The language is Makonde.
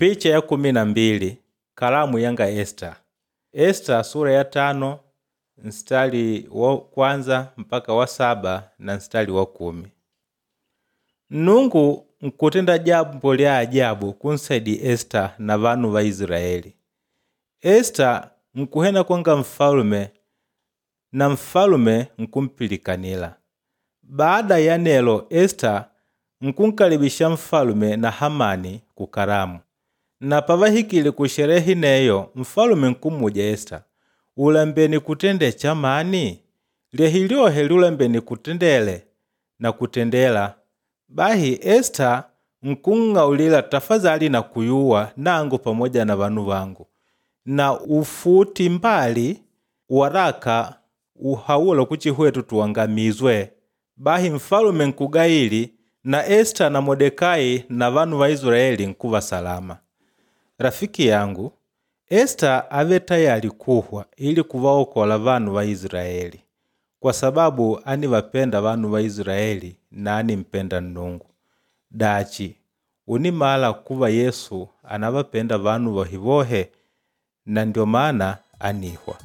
Picha ya 12 kalamu yanga Esita. Esita sura ya 5 mstari wa kwanza mpaka wa 7 na mstari wa 10. Nnungu nkutenda jambo lya ajabu kunsaidi Esita na vanu va Israeli. Esita nkuhena kwanga mfalume na mfalume nkumpilikanila. Baada ya nelo Esita nkunkalibisha mfalume na Hamani ku karamu. Na pavahikile ku sherehe neyo mfalume nkumuja Esita, ulambeni kutende chamani? Lyehi lyohe lyulambeni kutendele na kutendela. Bahi Esita nkung'aulila tafadhali na kuyuwa nangu pamoja na vanu vangu. Na ufuti mbali waraka uhaula kuchihwetu tuangamizwe. Bahi mfalume nkugaili na Esita na Modekai na vanu va Israeli nkuva salama. Rafiki yangu, Esita ave tayali kuhwa ili kuvaokola vanu va Israeli. Kwa sababu anivapenda vanu va Israeli na animpenda Nnungu. Dachi, unimala kuva Yesu anavapenda vanu vohevohe na ndio maana anihwa.